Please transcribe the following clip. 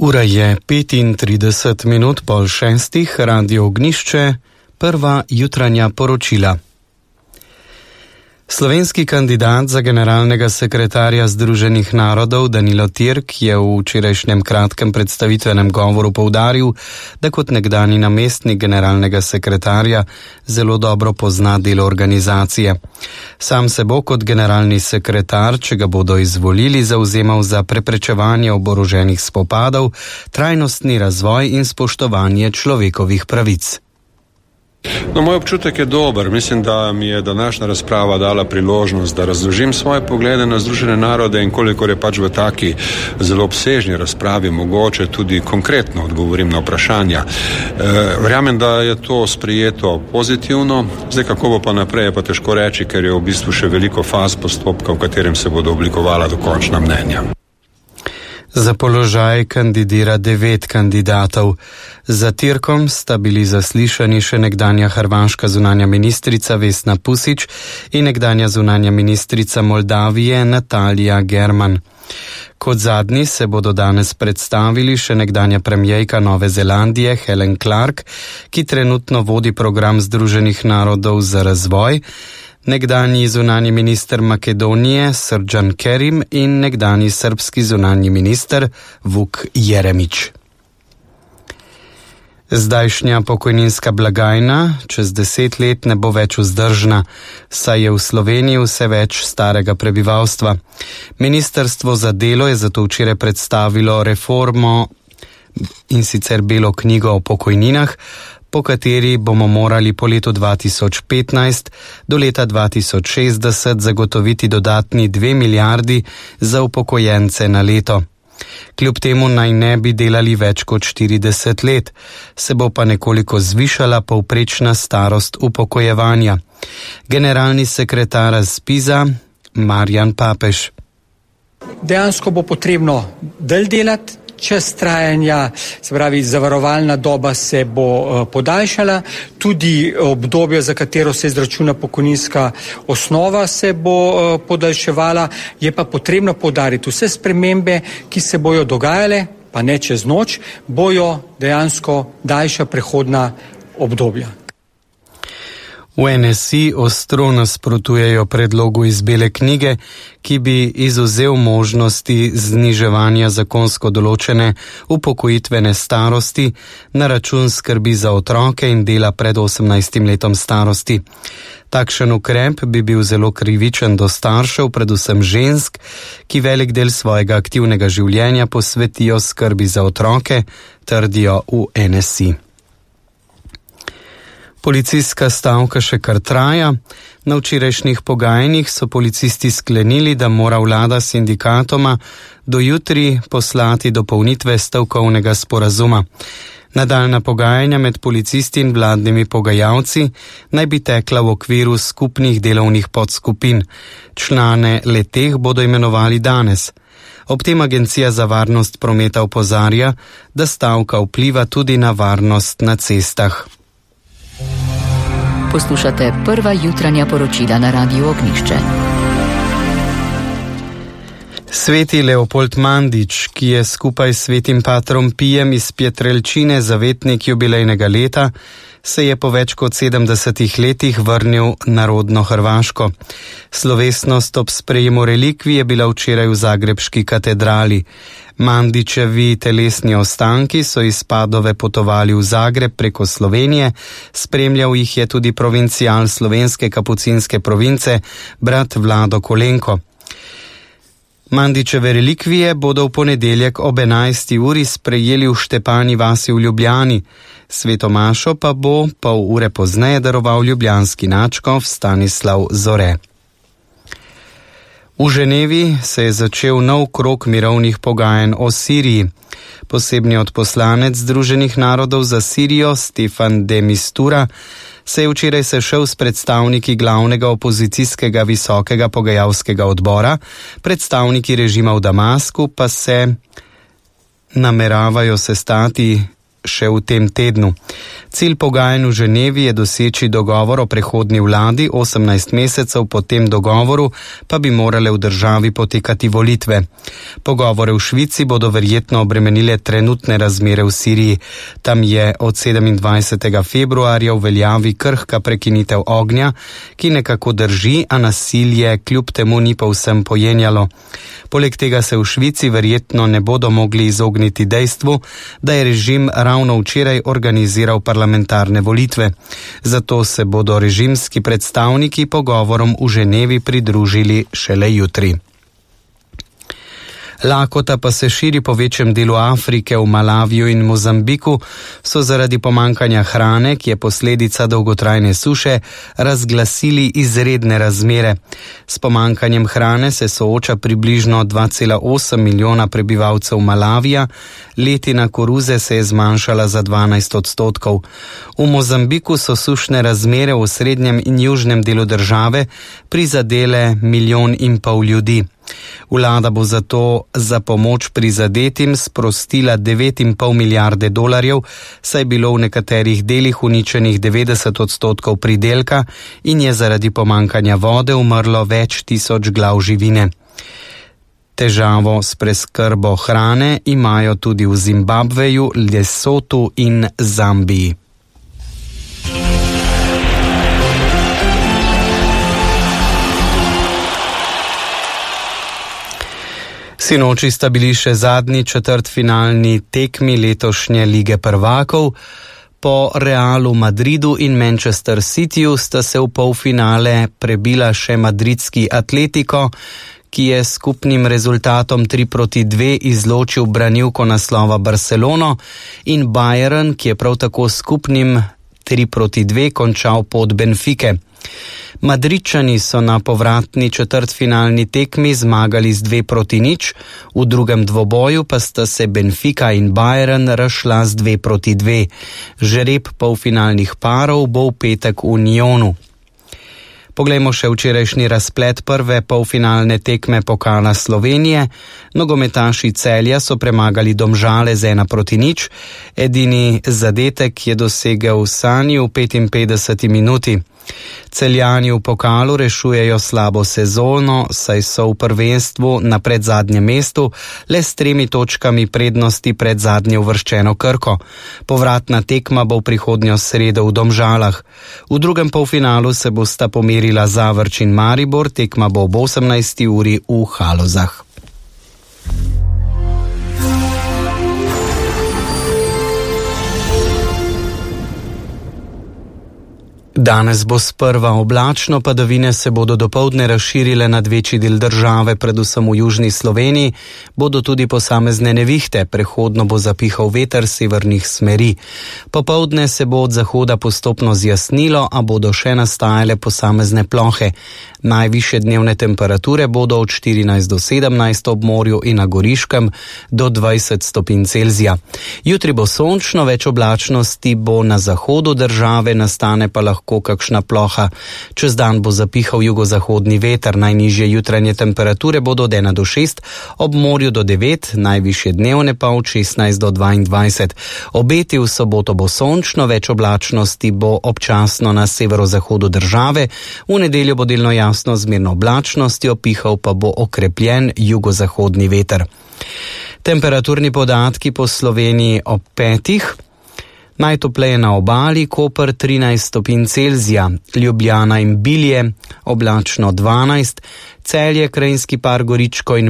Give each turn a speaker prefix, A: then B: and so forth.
A: Ura je 35 minut pol šestih, Radio Ognjišče, prva jutranja poročila. Slovenski kandidat za generalnega sekretarja Združenih narodov Danilo Türk je v včerajšnjem kratkem predstavitvenem govoru poudaril, da kot nekdanji namestnik generalnega sekretarja zelo dobro pozna delo organizacije. Sam se bo kot generalni sekretar, če ga bodo izvolili, zavzemal za preprečevanje oboroženih spopadov, trajnostni razvoj in spoštovanje človekovih pravic.
B: No, moj občutek je dober. Mislim, da mi je današnja razprava dala priložnost, da razložim svoje poglede na Združene narode in kolikor je pač v taki zelo obsežni razpravi mogoče tudi konkretno odgovorim na vprašanja. Verjamem, da je to sprejeto pozitivno. Zdaj, kako bo pa naprej, je pa težko reči, ker je v bistvu še veliko faz postopka, v katerem se bodo oblikovala dokončna mnenja.
A: Za položaj kandidira 9 kandidatov. Za Türkom sta bili zaslišani še nekdanja hrvaška zunanja ministrica Vesna Pusić in nekdanja zunanja ministrica Moldavije Natalija German. Kot zadnji se bodo danes predstavili še nekdanja premijejka Nove Zelandije Helen Clark, ki trenutno vodi program Združenih narodov za razvoj, nekdanji zunanji minister Makedonije Srdjan Kerim in nekdanji srbski zunanji minister Vuk Jeremić. Zdajšnja pokojninska blagajna čez 10 let ne bo več vzdržna, saj je v Sloveniji vse več starega prebivalstva. Ministrstvo za delo je zato včeraj predstavilo reformo in sicer belo knjigo o pokojninah, po kateri bomo morali po letu 2015 do leta 2060 zagotoviti dodatni 2 milijardi za upokojence na leto. Kljub temu naj ne bi delali več kot 40 let, se bo pa nekoliko zvišala povprečna starost upokojevanja. Generalni sekretar ZPIZ-a Marjan Papež.
C: Dejansko bo potrebno dalj delati. Čas trajanja, se pravi zavarovalna doba se bo podaljšala, tudi obdobje, za katero se izračuna pokojninska osnova, se bo podaljševala. Je pa potrebno poudariti, vse spremembe, ki se bojo dogajale, pa ne čez noč, bojo dejansko daljša prehodna obdobja.
A: V NSI ostro nasprotujejo predlogu iz bele knjige, ki bi izvzel možnosti zniževanja zakonsko določene upokojitvene starosti na račun skrbi za otroke in dela pred 18 letom starosti. Takšen ukrep bi bil zelo krivičen do staršev, predvsem žensk, ki velik del svojega aktivnega življenja posvetijo skrbi za otroke, trdijo v NSI. Policijska stavka še kar traja. Na včerajšnjih pogajanjih so policisti sklenili, da mora vlada sindikatoma do jutri poslati dopolnitve stavkovnega sporazuma. Nadaljnja pogajanja med policisti in vladnimi pogajalci naj bi tekla v okviru skupnih delovnih podskupin. Člane le-teh bodo imenovali danes. Ob tem Agencija za varnost prometa opozarja, da stavka vpliva tudi na varnost na cestah.
D: Poslušate prva jutranja poročila na Radiu Ognjišče.
A: Sveti Leopold Mandić, ki je skupaj s svetim patrom Pijem iz Pietrelcine zavetnik jubilejnega leta, se je po več kot 70 letih vrnil na rodno Hrvaško. Slovesnost ob sprejemu relikvij je bila včeraj v zagrebški katedrali. Mandićevi telesni ostanki so iz Padove potovali v Zagreb preko Slovenije, spremljal jih je tudi provincial slovenske kapucinske province, brat Vlado Kolenko. Mandićeve relikvije bodo v ponedeljek ob 11. uri sprejeli v Štepani vasi v Ljubljani. Sveto mašo pa bo pol ure pozneje daroval ljubljanski nadškof Stanislav Zore. V Ženevi se je začel nov krog mirovnih pogajanj o Siriji. Posebni odposlanec Združenih narodov za Sirijo Stefan de Mistura se je včeraj sešel s predstavniki glavnega opozicijskega visokega pogajalskega odbora, predstavniki režima v Damasku pa se nameravajo sestati še v tem tednu. Cilj pogajanj v Ženevi je doseči dogovor o prehodni vladi, 18 mesecev po tem dogovoru pa bi morale v državi potekati volitve. Pogovore v Švici bodo verjetno obremenile trenutne razmere v Siriji. Tam je od 27. februarja v veljavi krhka prekinitev ognja, ki nekako drži, a nasilje kljub temu ni povsem pojenjalo. Poleg tega se v Švici verjetno ne bodo mogli izogniti dejstvu, da je režim ravno včeraj organiziral parlamentarne volitve. Zato se bodo režimski predstavniki pogovorom v Ženevi pridružili šele jutri. Lakota pa se širi po večjem delu Afrike. V Malaviju in Mozambiku so zaradi pomankanja hrane, ki je posledica dolgotrajne suše, razglasili izredne razmere. S pomankanjem hrane se sooča približno 2,8 milijona prebivalcev Malavija, letina koruze se je zmanjšala za 12%. V Mozambiku so sušne razmere v srednjem in južnem delu države prizadele 1,5 milijona ljudi. Vlada bo zato za pomoč prizadetim sprostila 9,5 milijarde dolarjev, saj je bilo v nekaterih delih uničenih 90% pridelka in je zaradi pomankanja vode umrlo več tisoč glav živine. Težavo s preskrbo hrane imajo tudi v Zimbabveju, Lesotu in Zambiji. Sinoči sta bili še zadnji četrtfinalni tekmi letošnje Lige prvakov. Po Realu Madridu in Manchester Cityju sta se v polfinale prebila še madridski Atletico, ki je s skupnim rezultatom 3-2 izločil branilko naslova Barcelono, in Bayern, ki je prav tako skupnim 3-2 končal pot Benfike. Madridčani so na povratni četrtfinalni tekmi zmagali z 2-0, v drugem dvoboju pa sta se Benfica in Bayern razšla z 2-2. Žreb polfinalnih parov bo v petek v Nyonu. Poglejmo še včerajšnji razplet prve polfinalne tekme pokala Slovenije. Nogometaši Celja so premagali Domžale z 1-0. Edini zadetek je dosegel Sani v 55 minuti. Celjani v pokalu rešujejo slabo sezono, saj so v prvenstvu na predzadnjem mestu le s 3 točkami prednosti pred zadnje uvrščeno Krko. Povratna tekma bo v prihodnjo sredo v Domžalah. V drugem polfinalu se bosta pomerila Zavrč in Maribor, tekma bo ob 18. uri v Halozah. Danes bo sprva oblačno, padavine se bodo dopoldne razširile nad večji del države, predvsem v južni Sloveniji, bodo tudi posamezne nevihte, prehodno bo zapihal veter severnih smeri. Popoldne se bo od zahoda postopno zjasnilo, a bodo še nastajale posamezne plohe. Najvišje dnevne temperature bodo od 14 do 17 ob morju in na Goriškem do 20 stopinj Celzija. Jutri bo sončno, več oblačnosti bo na zahodu države, nastane pa lahko kakšna ploha. Čez dan bo zapihal jugozahodni veter, najnižje jutranje temperature bodo od 1 do 6, ob morju do 9, najvišje dnevne pa od 16 do 22. Obeti v soboto bo sončno, več oblačnosti bo občasno na severozahodu države, v nedeljo bo delno jasno z mirno oblačnostjo, pihal pa bo okrepljen jugozahodni veter. Temperaturni podatki po Sloveniji ob 5. Najtopleje na obali, Koper 13 stopinj Celzija, Ljubljana in Bilje oblačno 12, Celje, Krajinski par, Goričko in